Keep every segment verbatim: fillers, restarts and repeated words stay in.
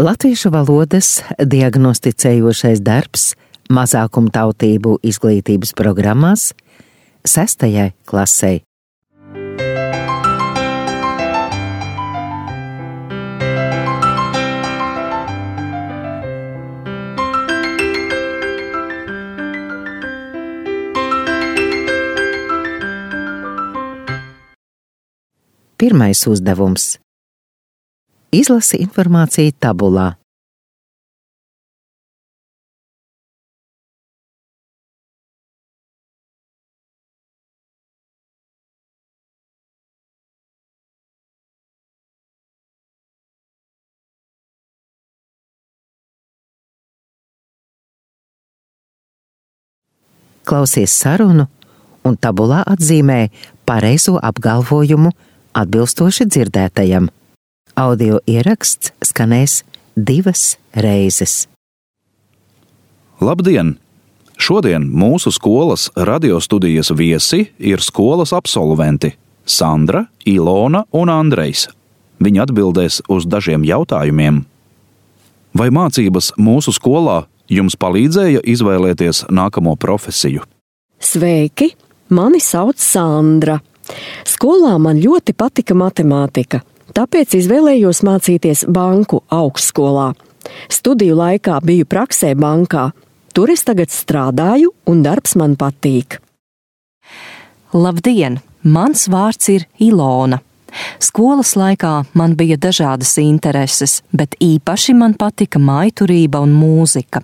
Latviešu valodas diagnosticējošais darbs mazākumtautību izglītības programmās sestajai klasei. Pirmais uzdevums. Izlasi informāciju tabulā. Klausies sarunu un tabulā atzīmē pareizo apgalvojumu atbilstoši dzirdētajam. Audio ieraksts skanēs divas reizes. Labdien! Šodien mūsu skolas radiostudijas viesi ir skolas absolventi Sandra, Ilona un Andrejs. Viņi atbildēs uz dažiem jautājumiem. Vai mācības mūsu skolā jums palīdzēja izvēlēties nākamo profesiju? Sveiki! Mani sauc Sandra. Skolā man ļoti patika matemātika, tāpēc izvēlējos mācīties banku augstskolā. Studiju laikā biju praksē bankā. Tur es tagad strādāju un darbs man patīk. Labdien! Mans vārds ir Ilona. Skolas laikā man bija dažādas intereses, bet īpaši man patika mājturība un mūzika.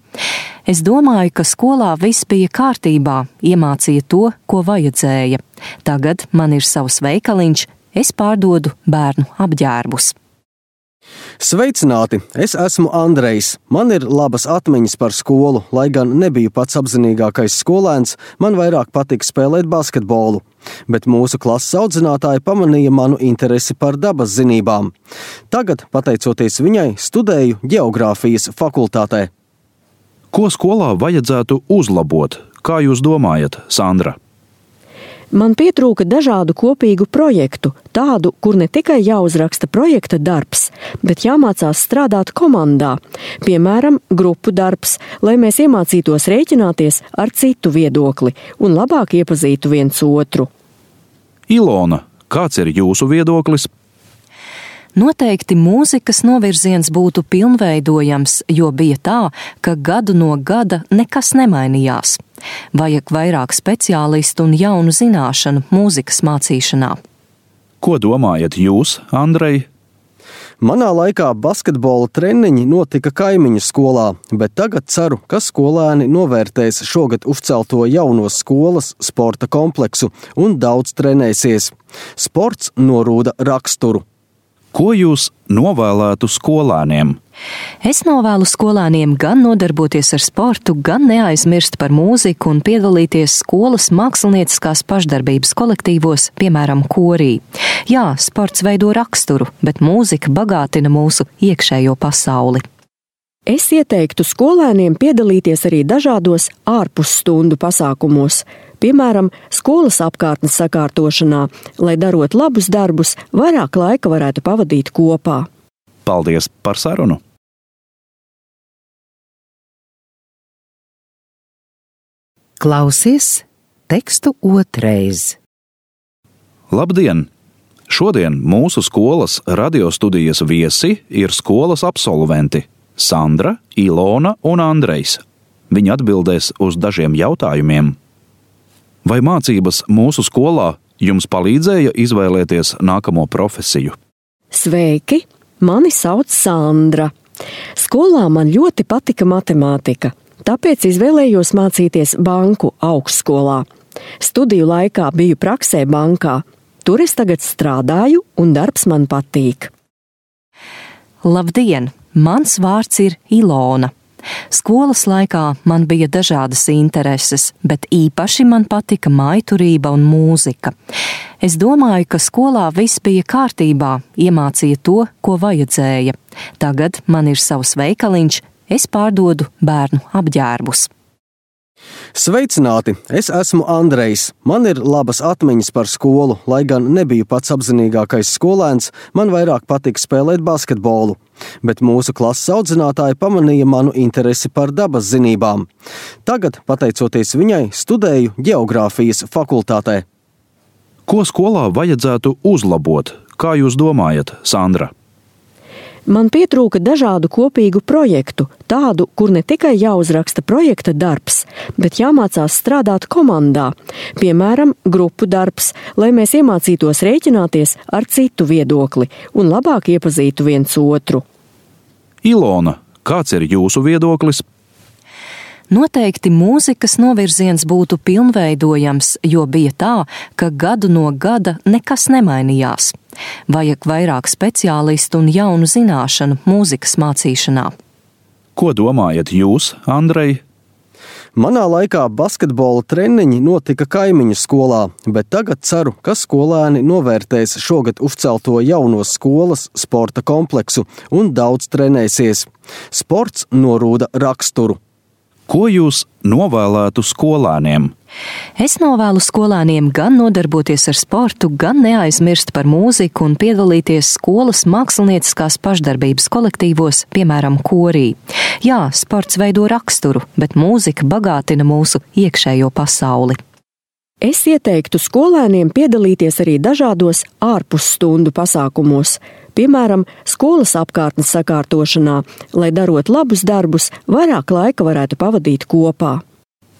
Es domāju, ka skolā viss bija kārtībā, iemācīja to, ko vajadzēja. Tagad man ir savs veikaliņš, es pārdodu bērnu apģērbus. Sveicināti! Es esmu Andrejs. Man ir labas atmiņas par skolu, lai gan nebiju pats apzinīgākais skolēns, man vairāk patika spēlēt basketbolu. Bet mūsu klases audzinātāja pamanīja manu interesi par dabas zinībām. Tagad, pateicoties viņai, studēju ģeogrāfijas fakultātē. Ko skolā vajadzētu uzlabot? Kā jūs domājat, Sandra? Man pietrūka dažādu kopīgu projektu, tādu, kur ne tikai jāuzraksta projekta darbs, bet jāmācās strādāt komandā, piemēram, grupu darbs, lai mēs iemācītos rēķināties ar citu viedokli un labāk iepazītu viens otru. Ilona, kāds ir jūsu viedoklis? Noteikti mūzikas novirziens būtu pilnveidojams, jo bija tā, ka gadu no gada nekas nemainījās. Vajag vairāk speciālistu un jaunu zināšanu mūzikas mācīšanā. Ko domājat jūs, Andrej? Manā laikā basketbola treniņi notika kaimiņu skolā, bet tagad ceru, ka skolēni novērtēs šogad uzcelto jauno skolas sporta kompleksu un daudz trenēsies. Sports norūda raksturu. Ko jūs novēlētu skolēniem? Es novēlu skolēniem gan nodarboties ar sportu, gan neaizmirst par mūziku un piedalīties skolas mākslinieckās pašdarbības kolektīvos, piemēram, korī. Jā, sports veido raksturu, bet mūzika bagātina mūsu iekšējo pasauli. Es ieteiktu skolēniem piedalīties arī dažādos ārpusstundu pasākumos, piemēram, skolas apkārtnes sakārtošanā, lai darot labus darbus, vairāk laika varētu pavadīt kopā. Paldies par sarunu! Klausies tekstu otrais. Labdien! Šodien mūsu skolas radiostudijas viesi ir skolas absolventi Sandra, Ilona un Andrejs. Viņi atbildēs uz dažiem jautājumiem. Vai mācības mūsu skolā jums palīdzēja izvēlēties nākamo profesiju? Sveiki! Mani sauc Sandra. Skolā man ļoti patika matemātika, tāpēc izvēlējos mācīties banku augstskolā. Studiju laikā biju praksē bankā. Tur es tagad strādāju un darbs man patīk. Labdien! Mans vārds ir Ilona. Skolas laikā man bija dažādas intereses, bet īpaši man patika mājturība un mūzika. Es domāju, ka skolā viss bija kārtībā, iemācīja to, ko vajadzēja. Tagad man ir savs veikaliņš, es pārdodu bērnu apģērbus. Sveicināti! Es esmu Andrejs. Man ir labas atmiņas par skolu, lai gan nebiju pats apzinīgākais skolēns, man vairāk patika spēlēt basketbolu. Bet mūsu klases audzinātāja pamanīja manu interesi par dabas zinībām. Tagad, pateicoties viņai, studēju ģeogrāfijas fakultātē. Ko skolā vajadzētu uzlabot? Kā jūs domājat, Sandra? Man pietrūka dažādu kopīgu projektu, tādu, kur ne tikai jāuzraksta projekta darbs, bet jāmācās strādāt komandā, piemēram, grupu darbs, lai mēs iemācītos rēķināties ar citu viedokli un labāk iepazītu viens otru. Ilona, kāds ir jūsu viedoklis? Noteikti mūzikas novirziens būtu pilnveidojams, jo bija tā, ka gadu no gada nekas nemainījās. Vajag vairāk speciālistu un jaunu zināšanu mūzikas mācīšanā. Ko domājat jūs, Andrej? Manā laikā basketbola treniņi notika kaimiņu skolā, bet tagad ceru, ka skolēni novērtēs šogad uzcelto jauno skolas sporta kompleksu un daudz trenēsies. Sports norūda raksturu. Ko jūs novēlētu skolēniem? Es novēlu skolēniem gan nodarboties ar sportu, gan neaizmirst par mūziku un piedalīties skolas mākslinieckās pašdarbības kolektīvos, piemēram, korī. Jā, sports veido raksturu, bet mūzika bagātina mūsu iekšējo pasauli. Es ieteiktu skolēniem piedalīties arī dažādos ārpusstundu pasākumos, piemēram, skolas apkārtnes sakārtošanā, lai darot labus darbus, vairāk laika varētu pavadīt kopā.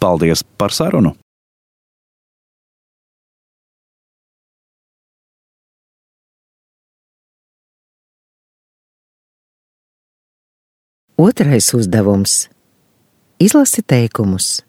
Paldies par sarunu! Otrais uzdevums – izlasi teikumus.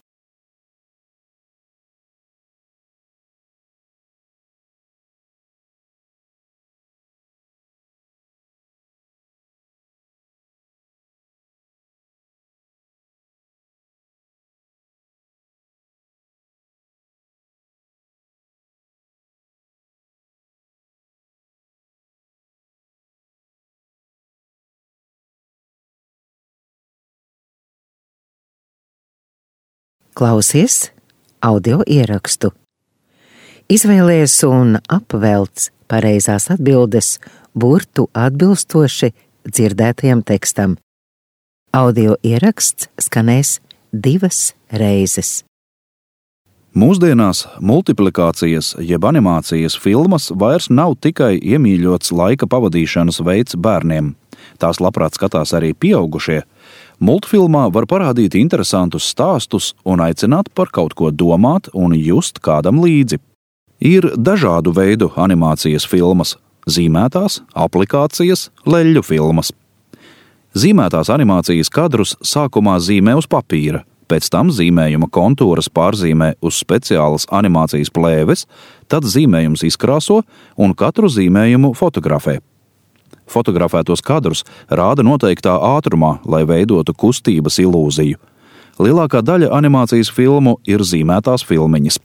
Klausies audio ierakstu. Izvēlies un apvelc pareizās atbildes burtu atbilstoši dzirdētajam tekstam. Audio ieraksts skanēs divas reizes. Mūsdienās multiplikācijas jeb animācijas filmas vairs nav tikai iemīļots laika pavadīšanas veids bērniem. Tās labprāt skatās arī pieaugušie. Multfilmā var parādīt interesantus stāstus un aicināt par kaut ko domāt un just kādam līdzi. Ir dažādu veidu animācijas filmas – zīmētās, aplikācijas, leļļu filmas. Zīmētās animācijas kadrus sākumā zīmē uz papīra, pēc tam zīmējuma kontūras pārzīmē uz speciālas animācijas plēves, tad zīmējums izkrāso un katru zīmējumu fotografē. Fotografētos kadrus rāda noteiktā ātrumā, lai veidotu kustības ilūziju. Lielākā daļa animācijas filmu ir zīmētās filmiņas.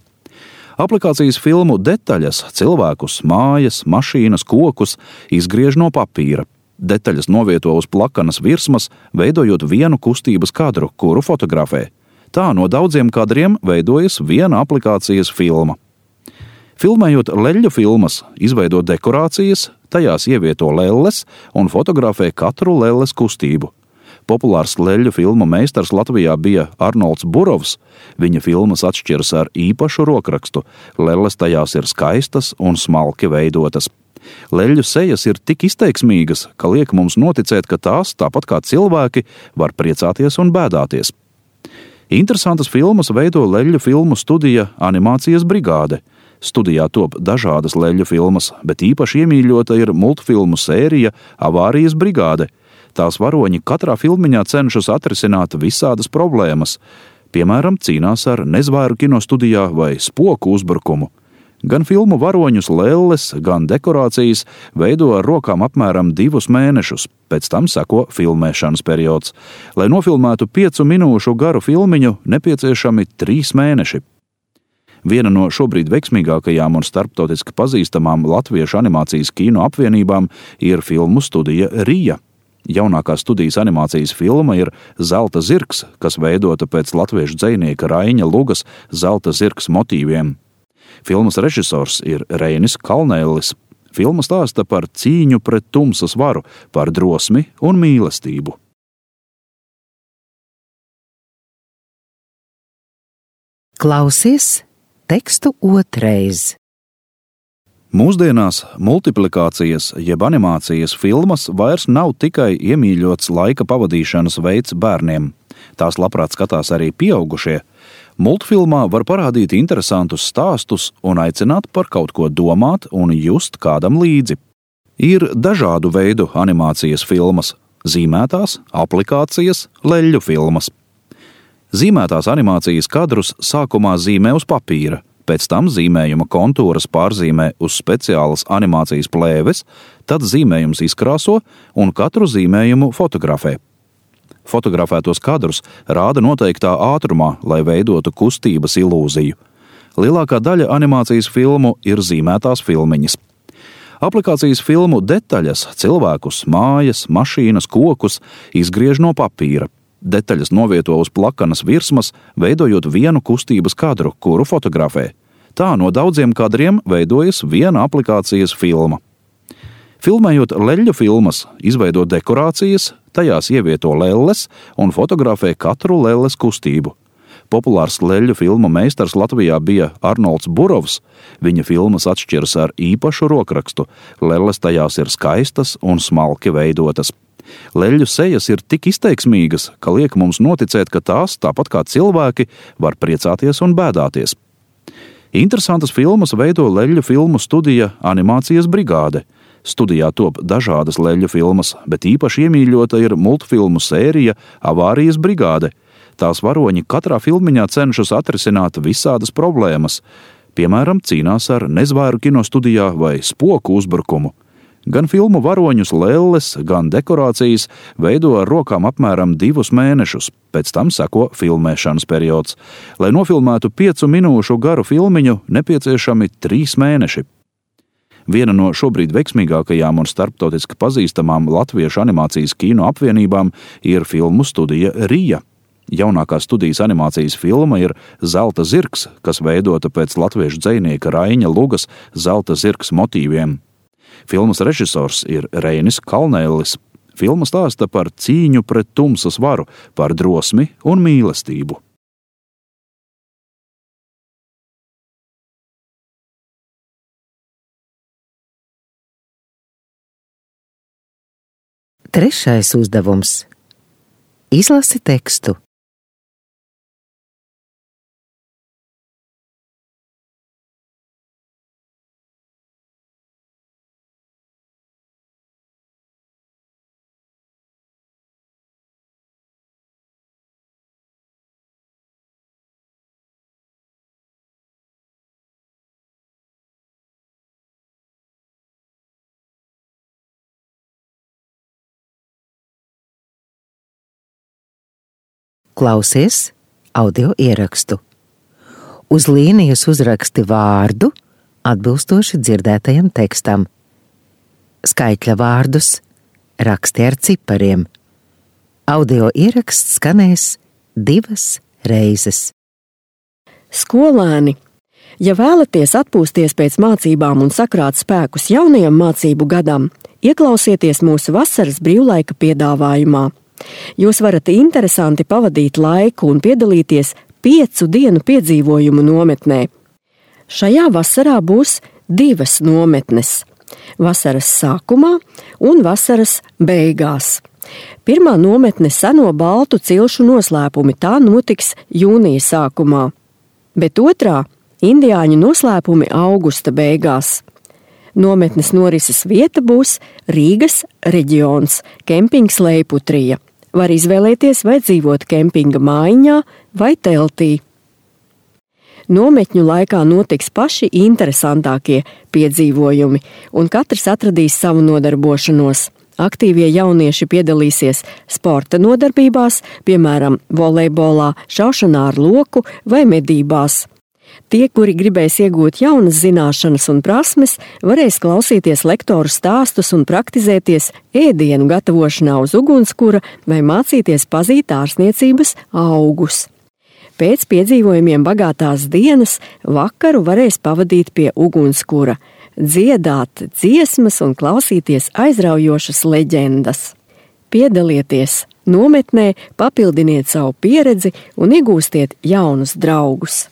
Aplikācijas filmu detaļas, cilvēkus, mājas, mašīnas, kokus izgriež no papīra. Detaļas novieto uz plakanas virsmas, veidojot vienu kustības kadru, kuru fotografē. Tā no daudziem kadriem veidojas viena aplikācijas filma. Filmējot leļļu filmas, izveido dekorācijas, tajās ievieto lelles un fotografē katru lelles kustību. Populārs leļļu filmu meistars Latvijā bija Arnolds Burovs. Viņa filmas atšķiras ar īpašu rokrakstu. Lelles tajās ir skaistas un smalki veidotas. Leļļu sejas ir tik izteiksmīgas, ka liek mums noticēt, ka tās, tāpat kā cilvēki, var priecāties un bēdāties. Interesantas filmas veido leļļu filmu studija Animācijas brigāde. Studijā top dažādas leļļu filmas, bet īpaši iemīļota ir multfilmu sērija Avārijas brigāde. Tās varoņi katrā filmiņā cenšas atrisināt visādas problēmas. Piemēram, cīnās ar nezvēru kinostudijā vai spoku uzbrukumu. Gan filmu varoņus lelles, gan dekorācijas veido ar rokām apmēram divus mēnešus, pēc tam seko filmēšanas periods. Lai nofilmētu piecu minūšu garu filmiņu, nepieciešami trīs mēneši. Viena no šobrīd veiksmīgākajām un starptautiski pazīstamām latviešu animācijas kino apvienībām ir filmu studija Rija. Jaunākā studijas animācijas filma ir Zelta zirgs, kas veidota pēc latviešu dzejnieka Raiņa Lugas Zelta zirgs motīviem. Filmas režisors ir Reinis Kalnēlis. Filma stāsta par cīņu pret tumsas varu, par drosmi un mīlestību. Klausies tekstu otrais. Mūsdienās multiplikācijas jeb animācijas filmas vairs nav tikai iemīļots laika pavadīšanas veids bērniem. Tās labprāt skatās arī pieaugušie. Multfilmā var parādīt interesantus stāstus un aicināt par kaut ko domāt un just kādam līdzi. Ir dažādu veidu animācijas filmas – zīmētās, aplikācijas, leļļu filmas. Zīmētās animācijas kadrus sākumā zīmē uz papīra, pēc tam zīmējuma kontūras pārzīmē uz speciālas animācijas plēves, tad zīmējums izkrāso un katru zīmējumu fotografē. Fotografētos kadrus rāda noteiktā ātrumā, lai veidotu kustības ilūziju. Lielākā daļa animācijas filmu ir zīmētās filmiņas. Aplikācijas filmu detaļas, cilvēkus, mājas, mašīnas, kokus izgriež no papīra. Detaļas novieto uz plakanas virsmas, veidojot vienu kustības kadru, kuru fotografē. Tā no daudziem kadriem veidojas viena aplikācijas filma. Filmējot leļļu filmas, izveido dekorācijas, tajās ievieto lelles un fotografē katru lelles kustību. Populārs leļļu filmu meistars Latvijā bija Arnolds Burovs. Viņa filmas atšķiras ar īpašu rokrakstu. Lelles tajās ir skaistas un smalki veidotas. Leļļu sejas ir tik izteiksmīgas, ka liek mums noticēt, ka tās, tāpat kā cilvēki, var priecāties un bēdāties. Interesantas filmas veido leļļu filmu studija Animācijas brigāde. Studijā top dažādas leļļu filmas, bet īpaši iemīļota ir multfilmu sērija Avārijas brigāde. Tās varoņi katrā filmiņā cenšas atrisināt visādas problēmas. Piemēram, cīnās ar nezvēru kinostudijā vai spoku uzbrukumu. Gan filmu varoņus lelles, gan dekorācijas veido ar rokām apmēram divus mēnešus, pēc tam seko filmēšanas periods. Lai nofilmētu piecu minūšu garu filmiņu, nepieciešami trīs mēneši. Viena no šobrīd veiksmīgākajām un starptautiski pazīstamām latviešu animācijas kino apvienībām ir filmu studija Rija. Jaunākā studijas animācijas filma ir Zelta zirgs, kas veidota pēc latviešu dzejnieka Raiņa Lugas Zelta zirgs motīviem. Filmas režisors ir Reinis Kalnēlis. Filma stāsta par cīņu pret tumsas varu, par drosmi un mīlestību. Trešais uzdevums. Izlasi tekstu. Klausies audio ierakstu. Uz līnijas uzraksti vārdu, atbilstoši dzirdētajam tekstam. Skaitļa vārdus raksti ar cipariem. Audio ieraksts skanēs divas reizes. Skolēni, ja vēlaties atpūsties pēc mācībām un sakrāt spēkus jaunajam mācību gadam, ieklausieties mūsu vasaras brīvlaika piedāvājumā. Jūs varat interesanti pavadīt laiku un piedalīties piecu dienu piedzīvojumu nometnē. Šajā vasarā būs divas nometnes – vasaras sākumā un vasaras beigās. Pirmā nometne seno baltu cilšu noslēpumi, tā notiks jūnija sākumā, bet otrā – indiāņu noslēpumi augusta beigās. Nometnes norises vieta būs Rīgas reģions, kempings Leiputrija. Var izvēlēties, vai dzīvot kempinga mājiņā vai teltī. Nometņu laikā notiks paši interesantākie piedzīvojumi, un katrs atradīs savu nodarbošanos. Aktīvie jaunieši piedalīsies sporta nodarbībās, piemēram, volejbolā, šaušanā ar loku vai medībās. Tie, kuri gribēs iegūt jaunas zināšanas un prasmes, varēs klausīties lektoru stāstus un praktizēties ēdienu gatavošanā uz ugunskura vai mācīties pazīt ārsniecības augus. Pēc piedzīvojumiem bagātās dienas vakaru varēs pavadīt pie ugunskura, dziedāt dziesmas un klausīties aizraujošas leģendas. Piedalieties nometnē, papildiniet savu pieredzi un iegūstiet jaunus draugus.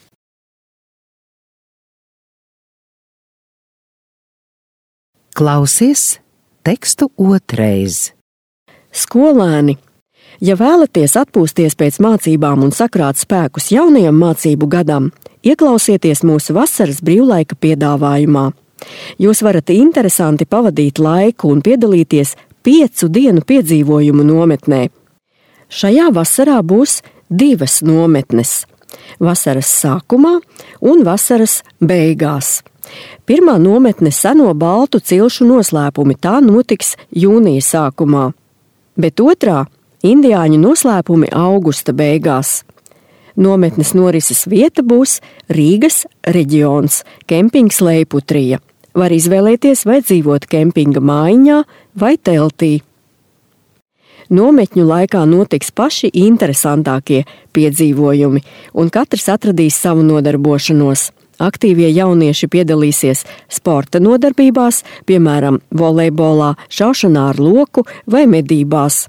Klausies tekstu otrais. Skolēni, ja vēlaties atpūsties pēc mācībām un sakrāt spēkus jaunajam mācību gadam, ieklausieties mūsu vasaras brīvlaika piedāvājumā. Jūs varat interesanti pavadīt laiku un piedalīties piecu dienu piedzīvojumu nometnē. Šajā vasarā būs divas nometnes – vasaras sākumā un vasaras beigās. Pirmā nometne seno baltu cilšu noslēpumi, tā notiks jūnija sākumā, bet otrā – indiāņu noslēpumi augusta beigās. Nometnes norises vieta būs Rīgas reģions, kempings Leiputrija. Var izvēlēties, vai dzīvot kempinga mājiņā vai teltī. Nometņu laikā notiks paši interesantākie piedzīvojumi, un katrs atradīs savu nodarbošanos. Aktīvie jaunieši piedalīsies sporta nodarbībās, piemēram, volejbolā, šaušanā ar loku vai medībās.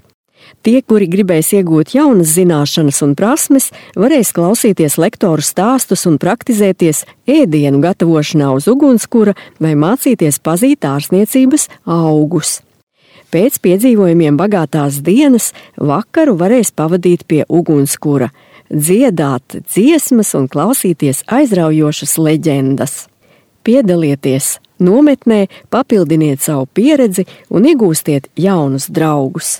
Tie, kuri gribēs iegūt jaunas zināšanas un prasmes, varēs klausīties lektoru stāstus un praktizēties ēdienu gatavošanā uz ugunskura vai mācīties pazīt ārsniecības augus. Pēc piedzīvojumiem bagātās dienas vakaru varēs pavadīt pie ugunskura, dziedāt dziesmas un klausīties aizraujošas leģendas. Piedalieties nometnē, papildiniet savu pieredzi un iegūstiet jaunus draugus.